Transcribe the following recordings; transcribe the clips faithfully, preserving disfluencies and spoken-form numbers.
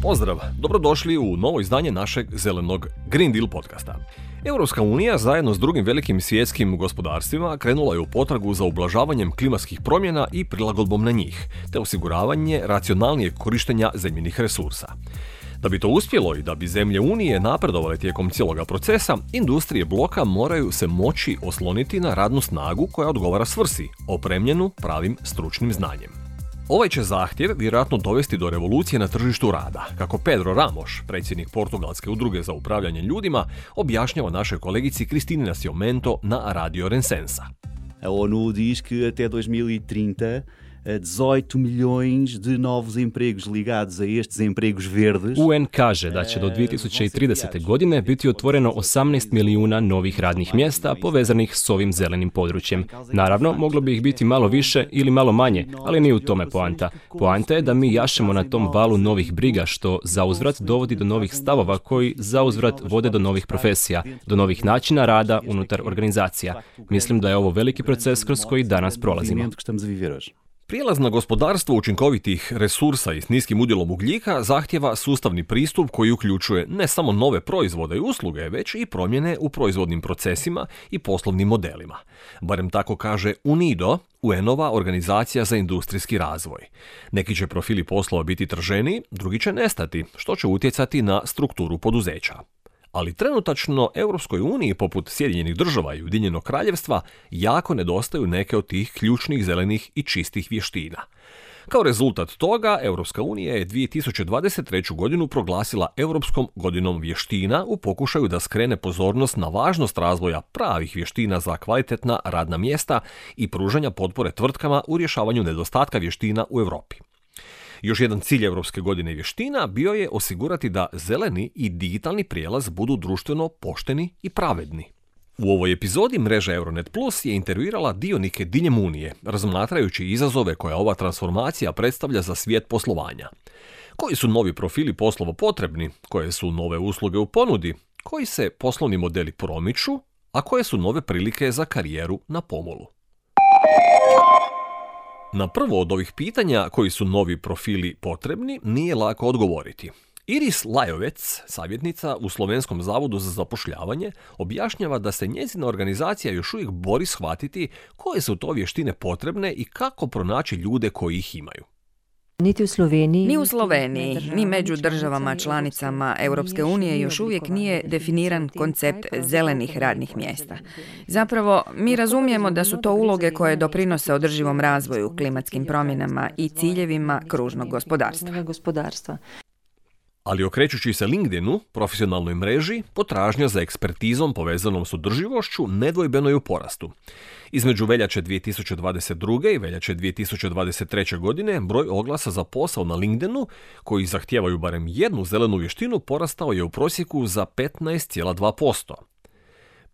Pozdrav, dobrodošli u novo izdanje našeg zelenog Green Deal podcasta. Europska unija zajedno s drugim velikim svjetskim gospodarstvima krenula je u potragu za ublažavanjem klimatskih promjena i prilagodbom na njih, te osiguravanje racionalnijeg korištenja zemljinih resursa. Da bi to uspjelo i da bi zemlje Unije napredovale tijekom cijeloga procesa, industrije bloka moraju se moći osloniti na radnu snagu koja odgovara svrsi, opremljenu pravim stručnim znanjem. Ovaj će zahtjev vjerojatno dovesti do revolucije na tržištu rada, kako Pedro Ramos, predsjednik Portugalske udruge za upravljanje ljudima, objašnjava našoj kolegici Cristine Nascimento na Radio Rensensa. A ONU diz que até dois mil e trinta dezoito milhões de novos empregos ligados a estes empregos verdes. U N kaže da će do dvije tisuće tridesete. godine biti otvoreno osamnaest milijuna novih radnih mjesta povezanih s ovim zelenim područjem. Naravno, moglo bi ih biti malo više ili malo manje, ali nije u tome poanta. Poanta je da mi jašemo na tom valu novih briga, što zauzvrat dovodi do novih stavova koji zauzvrat vode do novih profesija, do novih načina rada unutar organizacija. Mislim da je ovo veliki proces kroz koji danas prolazimo. Prijelaz na gospodarstvo učinkovitih resursa i s niskim udjelom ugljika zahtjeva sustavni pristup koji uključuje ne samo nove proizvode i usluge, već i promjene u proizvodnim procesima i poslovnim modelima. Barem tako kaže UNIDO, U N-ova organizacija za industrijski razvoj. Neki će profili poslova biti trženiji, drugi će nestati, što će utjecati na strukturu poduzeća. Ali trenutačno Europskoj uniji, poput Sjedinjenih država i Ujedinjenog kraljevstva, jako nedostaju neke od tih ključnih zelenih i čistih vještina. Kao rezultat toga, Europska unija je dvije tisuće dvadeset treću. godinu proglasila Europskom godinom vještina u pokušaju da skrene pozornost na važnost razvoja pravih vještina za kvalitetna radna mjesta i pružanja potpore tvrtkama u rješavanju nedostatka vještina u Europi. Još jedan cilj Europske godine vještina bio je osigurati da zeleni i digitalni prijelaz budu društveno pošteni i pravedni. U ovoj epizodi mreža Euronet Plus je intervjuirala dionike diljem Unije, razmatrajući izazove koje ova transformacija predstavlja za svijet poslovanja. Koji su novi profili poslova potrebni, koje su nove usluge u ponudi, koji se poslovni modeli promiču, a koje su nove prilike za karijeru na pomolu. Na prvo od ovih pitanja, koji su novi profili potrebni, nije lako odgovoriti. Iris Lajovec, savjetnica u Slovenskom zavodu za zapošljavanje, objašnjava da se njezina organizacija još uvijek bori shvatiti koje su to vještine potrebne i kako pronaći ljude koji ih imaju. Niti u Sloveniji, ni u Sloveniji, ni među državama članicama Europske unije još uvijek nije definiran koncept zelenih radnih mjesta. Zapravo, mi razumijemo da su to uloge koje doprinose održivom razvoju, klimatskim promjenama i ciljevima kružnog gospodarstva. Ali okrećući se LinkedInu, profesionalnoj mreži, potražnja za ekspertizom povezanom s održivošću nedvojbeno je u porastu. Između veljače dvije tisuće dvadeset druge. i veljače dvije tisuće dvadeset treće. godine broj oglasa za posao na LinkedInu, koji zahtijevaju barem jednu zelenu vještinu, porastao je u prosjeku za petnaest zarez dva posto.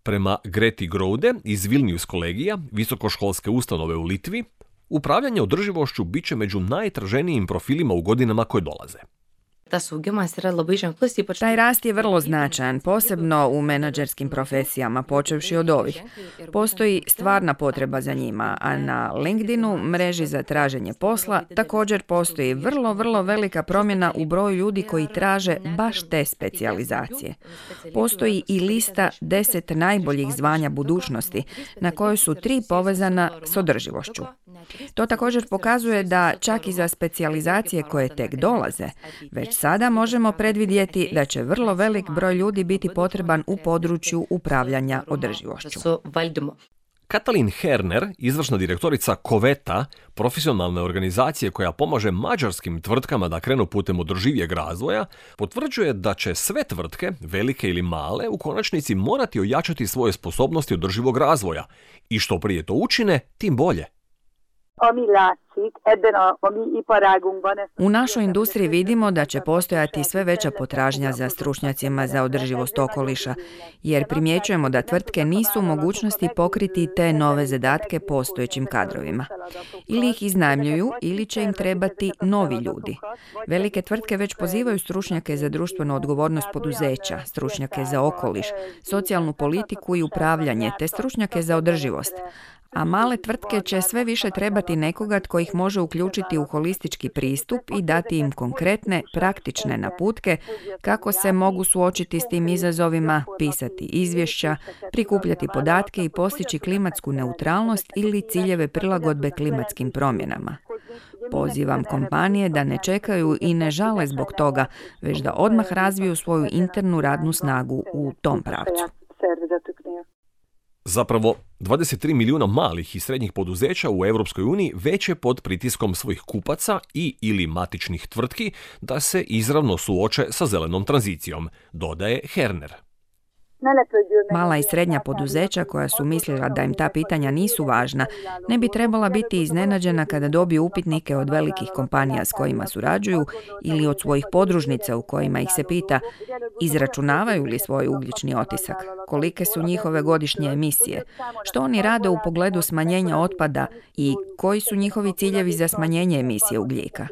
Prema Greti Grode iz Vilnius kolegija, visokoškolske ustanove u Litvi, upravljanje održivošću bit će među najtraženijim profilima u godinama koje dolaze. Taj rast je vrlo značajan, posebno u menadžerskim profesijama, počevši od ovih. Postoji stvarna potreba za njima, a na LinkedInu, mreži za traženje posla, također postoji vrlo, vrlo velika promjena u broju ljudi koji traže baš te specijalizacije. Postoji i lista deset najboljih zvanja budućnosti, na kojoj su tri povezana s održivošću. To također pokazuje da čak i za specijalizacije koje tek dolaze, već sada možemo predvidjeti da će vrlo velik broj ljudi biti potreban u području upravljanja održivošću. Katalin Herner, izvršna direktorica Koveta, profesionalne organizacije koja pomaže mađarskim tvrtkama da krenu putem održivijeg razvoja, potvrđuje da će sve tvrtke, velike ili male, u konačnici morati ojačati svoje sposobnosti održivog razvoja. I što prije to učine, tim bolje. U našoj industriji vidimo da će postojati sve veća potražnja za stručnjacima za održivost okoliša, jer primjećujemo da tvrtke nisu u mogućnosti pokriti te nove zadatke postojećim kadrovima. Ili ih iznajmljuju, ili će im trebati novi ljudi. Velike tvrtke već pozivaju stručnjake za društvenu odgovornost poduzeća, stručnjake za okoliš, socijalnu politiku i upravljanje, te stručnjake za održivost. A male tvrtke će sve više trebati nekoga tko ih može uključiti u holistički pristup i dati im konkretne, praktične naputke kako se mogu suočiti s tim izazovima, pisati izvješća, prikupljati podatke i postići klimatsku neutralnost ili ciljeve prilagodbe klimatskim promjenama. Pozivam kompanije da ne čekaju i ne žale zbog toga, već da odmah razviju svoju internu radnu snagu u tom pravcu. Zapravo, dvadeset tri milijuna malih i srednjih poduzeća u Europskoj uniji već je pod pritiskom svojih kupaca i ili matičnih tvrtki da se izravno suoče sa zelenom tranzicijom, dodaje Herner. Mala i srednja poduzeća koja su mislila da im ta pitanja nisu važna, ne bi trebala biti iznenađena kada dobiju upitnike od velikih kompanija s kojima surađuju ili od svojih podružnica u kojima ih se pita izračunavaju li svoj ugljični otisak, kolike su njihove godišnje emisije, što oni rade u pogledu smanjenja otpada i koji su njihovi ciljevi za smanjenje emisije ugljika.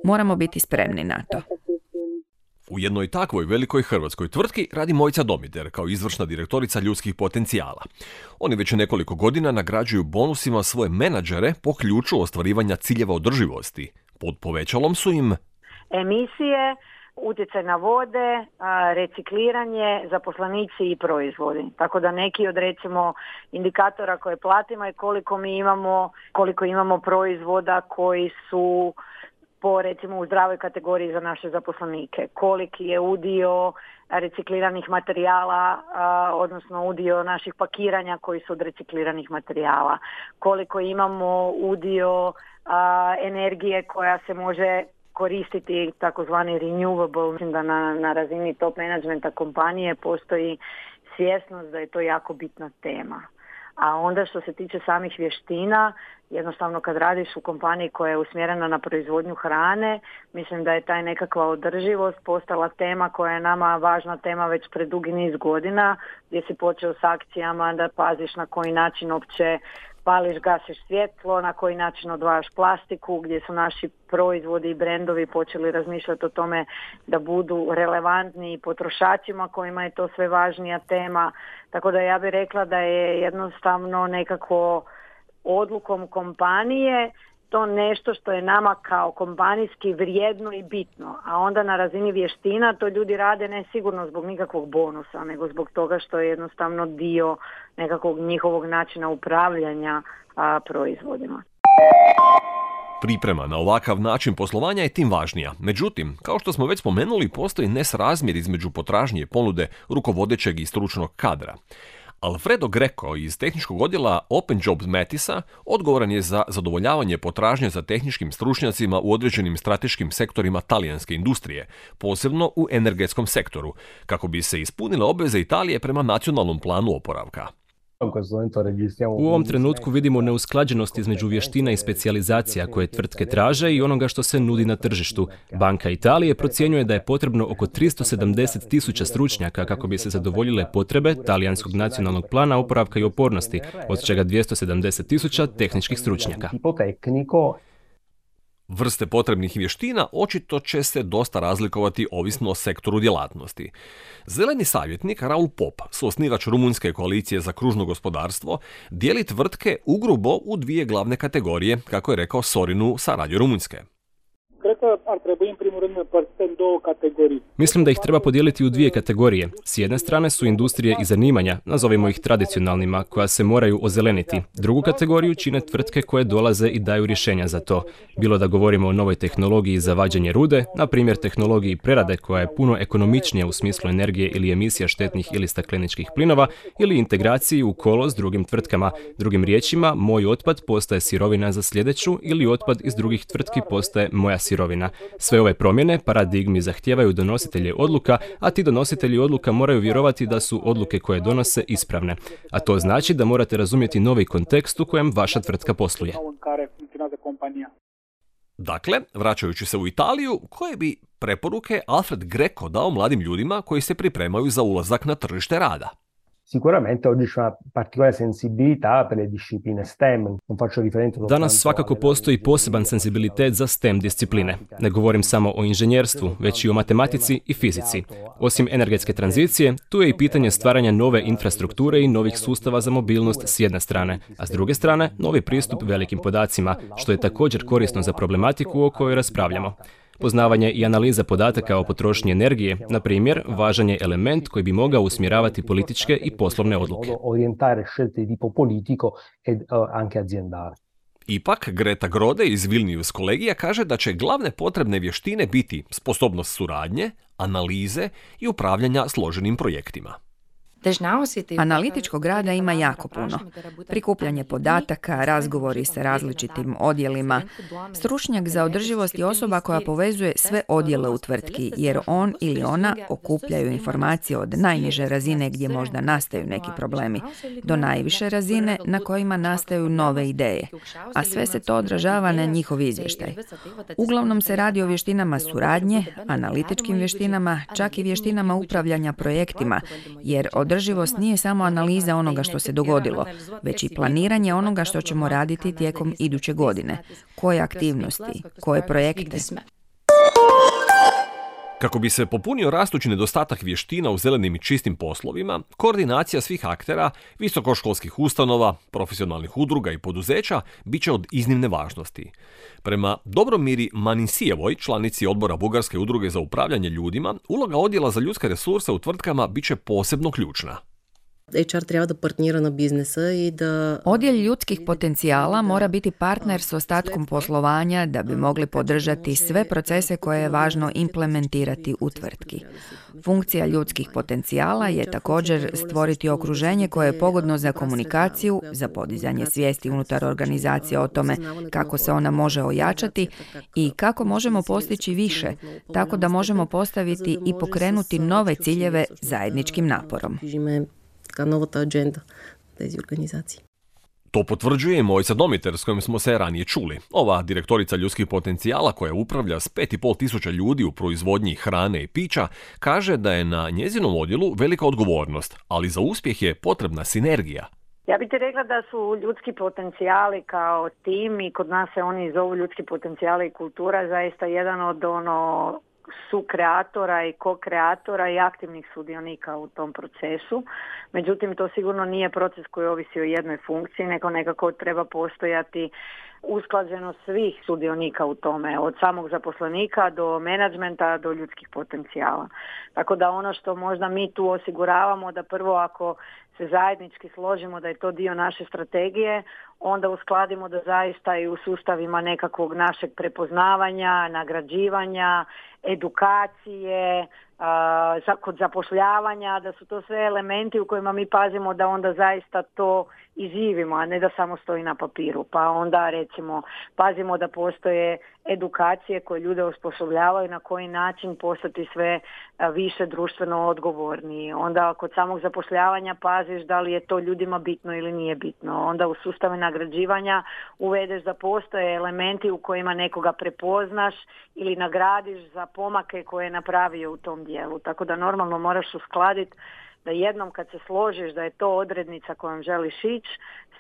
Moramo biti spremni na to. U jednoj takvoj velikoj hrvatskoj tvrtki radi Mojca Domider kao izvršna direktorica ljudskih potencijala. Oni već nekoliko godina nagrađuju bonusima svoje menadžere po ključu ostvarivanja ciljeva održivosti. Pod povećalom su im emisije, utjecaj na vode, recikliranje, zaposlenici i proizvodi. Tako da neki od recimo indikatora koje platimo je koliko mi imamo, koliko imamo proizvoda koji su po recimo u zdravoj kategoriji za naše zaposlenike. Koliki je udio recikliranih materijala, a, odnosno udio naših pakiranja koji su od recikliranih materijala. Koliko imamo udio a, energije koja se može koristiti, takozvani renewable. Mislim da na, na razini top managementa kompanije postoji svjesnost da je to jako bitna tema. A onda što se tiče samih vještina, jednostavno kad radiš u kompaniji koja je usmjerena na proizvodnju hrane, mislim da je taj nekakva održivost postala tema koja je nama važna tema već pred dugi niz godina, gdje si počeo s akcijama da paziš na koji način uopće pališ, gasiš svjetlo, na koji način odvajaš plastiku, gdje su naši proizvodi i brendovi počeli razmišljati o tome da budu relevantni potrošačima kojima je to sve važnija tema. Tako da ja bih rekla da je jednostavno nekako odlukom kompanije to nešto što je nama kao kompanijski vrijedno i bitno, a onda na razini vještina to ljudi rade ne sigurno zbog nikakvog bonusa, nego zbog toga što je jednostavno dio nekakvog njihovog načina upravljanja a, proizvodima. Priprema na ovakav način poslovanja je tim važnija. Međutim, kao što smo već spomenuli, postoji nesrazmjer između potražnje i ponude rukovodećeg i stručnog kadra. Alfredo Greco iz tehničkog odjela Open Jobs Matisa odgovoran je za zadovoljavanje potražnje za tehničkim stručnjacima u određenim strateškim sektorima talijanske industrije, posebno u energetskom sektoru, kako bi se ispunile obveze Italije prema nacionalnom planu oporavka. U ovom trenutku vidimo neusklađenost između vještina i specijalizacija koje tvrtke traže i onoga što se nudi na tržištu. Banka Italije procjenjuje da je potrebno oko tristo sedamdeset tisuća stručnjaka kako bi se zadovoljile potrebe talijanskog nacionalnog plana oporavka i otpornosti, od čega dvjesto sedamdeset tisuća tehničkih stručnjaka. Vrste potrebnih vještina očito će se dosta razlikovati ovisno o sektoru djelatnosti. Zeleni savjetnik Raul Pop, suosnivač Rumunjske koalicije za kružno gospodarstvo, dijeli tvrtke ugrubo u dvije glavne kategorije, kako je rekao Sorinu sa Radio Rumunjske. Mislim da ih treba podijeliti u dvije kategorije. S jedne strane su industrije i zanimanja, nazovimo ih tradicionalnima, koja se moraju ozeleniti. Drugu kategoriju čine tvrtke koje dolaze i daju rješenja za to. Bilo da govorimo o novoj tehnologiji za vađenje rude, na primjer tehnologiji prerade koja je puno ekonomičnija u smislu energije ili emisija štetnih ili stakleničkih plinova, ili integraciji u kolo s drugim tvrtkama. Drugim riječima, moj otpad postaje sirovina za sljedeću ili otpad iz drugih tvrtki postaje moja sirovina. Sve ove promjene paradigmi zahtijevaju donositelje odluka, a ti donositelji odluka moraju vjerovati da su odluke koje donose ispravne. A to znači da morate razumjeti novi kontekst u kojem vaša tvrtka posluje. Dakle, vraćajući se u Italiju, koje bi preporuke Alfred Greco dao mladim ljudima koji se pripremaju za ulazak na tržište rada? Sicuramente oggi c'è una particolare sensibilità per le discipline STEM. Non faccio riferimento Danas svakako postoji poseban senzibilitet za STEM discipline. Ne govorim samo o inženjerstvu, već i o matematici i fizici. Osim energetske tranzicije, tu je i pitanje stvaranja nove infrastrukture i novih sustava za mobilnost s jedne strane, a s druge strane novi pristup velikim podacima, što je također korisno za problematiku o kojoj raspravljamo. Poznavanje i analiza podataka o potrošnji energije, na primjer, važan je element koji bi mogao usmjeravati političke i poslovne odluke. Ipak, Greta Grode iz Vilnius kolegija kaže da će glavne potrebne vještine biti sposobnost suradnje, analize i upravljanja složenim projektima. Analitičkog rada ima jako puno. Prikupljanje podataka, razgovori sa različitim odjelima. Stručnjak za održivost je osoba koja povezuje sve odjele u tvrtki, jer on ili ona okupljaju informacije od najniže razine gdje možda nastaju neki problemi, do najviše razine na kojima nastaju nove ideje. A sve se to odražava na njihov izvještaj. Uglavnom se radi o vještinama suradnje, analitičkim vještinama, čak i vještinama upravljanja projektima, jer od Održivost nije samo analiza onoga što se dogodilo, već i planiranje onoga što ćemo raditi tijekom iduće godine. Koje aktivnosti, koje projekte. Kako bi se popunio rastući nedostatak vještina u zelenim i čistim poslovima, koordinacija svih aktera, visokoškolskih ustanova, profesionalnih udruga i poduzeća bit će od iznimne važnosti. Prema Dobromiri Manisijevoj, članici odbora Bugarske udruge za upravljanje ljudima, uloga odjela za ljudske resurse u tvrtkama bit će posebno ključna. H R treba da partnira na biznesa i da... Odjel ljudskih potencijala mora biti partner s ostatkom poslovanja da bi mogli podržati sve procese koje je važno implementirati u tvrtki. Funkcija ljudskih potencijala je također stvoriti okruženje koje je pogodno za komunikaciju, za podizanje svijesti unutar organizacije o tome kako se ona može ojačati i kako možemo postići više, tako da možemo postaviti i pokrenuti nove ciljeve zajedničkim naporom. Novata agenda тези organizaciji. To potvrđuje i Mojca Domiter s kojim smo se ranije čuli. Ova direktorica ljudskih potencijala koja upravlja s pet i pol tisuća ljudi u proizvodnji hrane i pića kaže da je na njezinom odjelu velika odgovornost, ali za uspjeh je potrebna sinergija. Ja bih ti rekla da su ljudski potencijali kao tim i kod nas se oni zovu ljudski potencijali i kultura zaista jedan od ono sukreatora i ko-kreatora i aktivnih sudionika u tom procesu. Međutim, to sigurno nije proces koji ovisi o jednoj funkciji, nego nekako treba postojati usklađenost svih sudionika u tome, od samog zaposlenika do menadžmenta do ljudskih potencijala. Tako da ono što možda mi tu osiguravamo, da prvo ako se zajednički složimo da je to dio naše strategije, onda uskladimo da zaista i u sustavima nekakvog našeg prepoznavanja, nagrađivanja, edukacije, uh, kod zapošljavanja, da su to sve elementi u kojima mi pazimo da onda zaista to i živimo, a ne da samo stoji na papiru. Pa onda recimo pazimo da postoje edukacije koje ljude osposobljavaju na koji način postati sve više društveno odgovorni. Onda kod samog zapošljavanja paziš da li je to ljudima bitno ili nije bitno. Onda u sustave nagrađivanja uvedeš da postoje elementi u kojima nekoga prepoznaš ili nagradiš za pomake koje je napravio u tom dijelu. Tako da normalno moraš uskladiti da jednom kad se složiš da je to odrednica kojom želiš ići,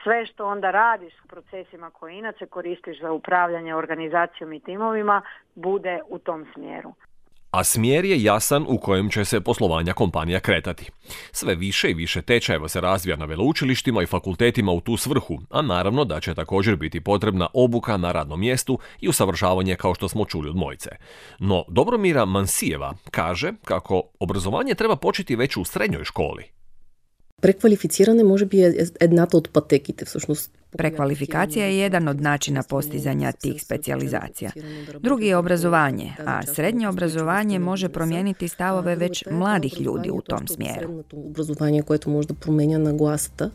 sve što onda radiš s procesima koje inače koristiš za upravljanje organizacijom i timovima bude u tom smjeru. A smjer je jasan u kojem će se poslovanja kompanija kretati. Sve više i više tečajeva se razvija na veleučilištima i fakultetima u tu svrhu, a naravno da će također biti potrebna obuka na radnom mjestu i usavršavanje kao što smo čuli od Mojce. No Dobromira Mansijeva kaže kako obrazovanje treba početi već u srednjoj školi. Prekvalificirane može bi едната od пътеките, всъщност. Prekvalifikacija je jedan od načina postizanja tih specijalizacija. Drugi je obrazovanje, a srednje obrazovanje može promijeniti stavove već mladih ljudi u tom smjeru. Obrazovanje koje to može da promijenja naglасата.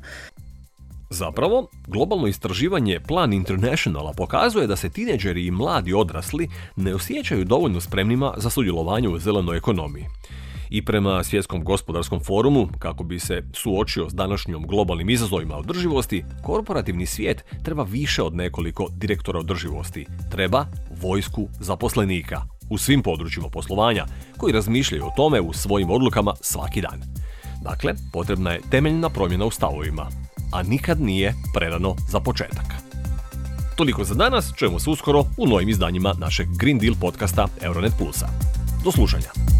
Zapravo, globalno istraživanje Plan Internationala pokazuje da se tineđeri i mladi odrasli ne osjećaju dovoljno spremnima za sudjelovanje u zelenoj ekonomiji. I prema Svjetskom gospodarskom forumu, kako bi se suočio s današnjom globalnim izazovima održivosti, korporativni svijet treba više od nekoliko direktora održivosti. Treba vojsku zaposlenika u svim područjima poslovanja koji razmišljaju o tome u svojim odlukama svaki dan. Dakle, potrebna je temeljna promjena u stavovima, a nikad nije prerano za početak. Toliko za danas, čujemo se uskoro u novim izdanjima našeg Green Deal podcasta Euronet Pulsa. Do slušanja.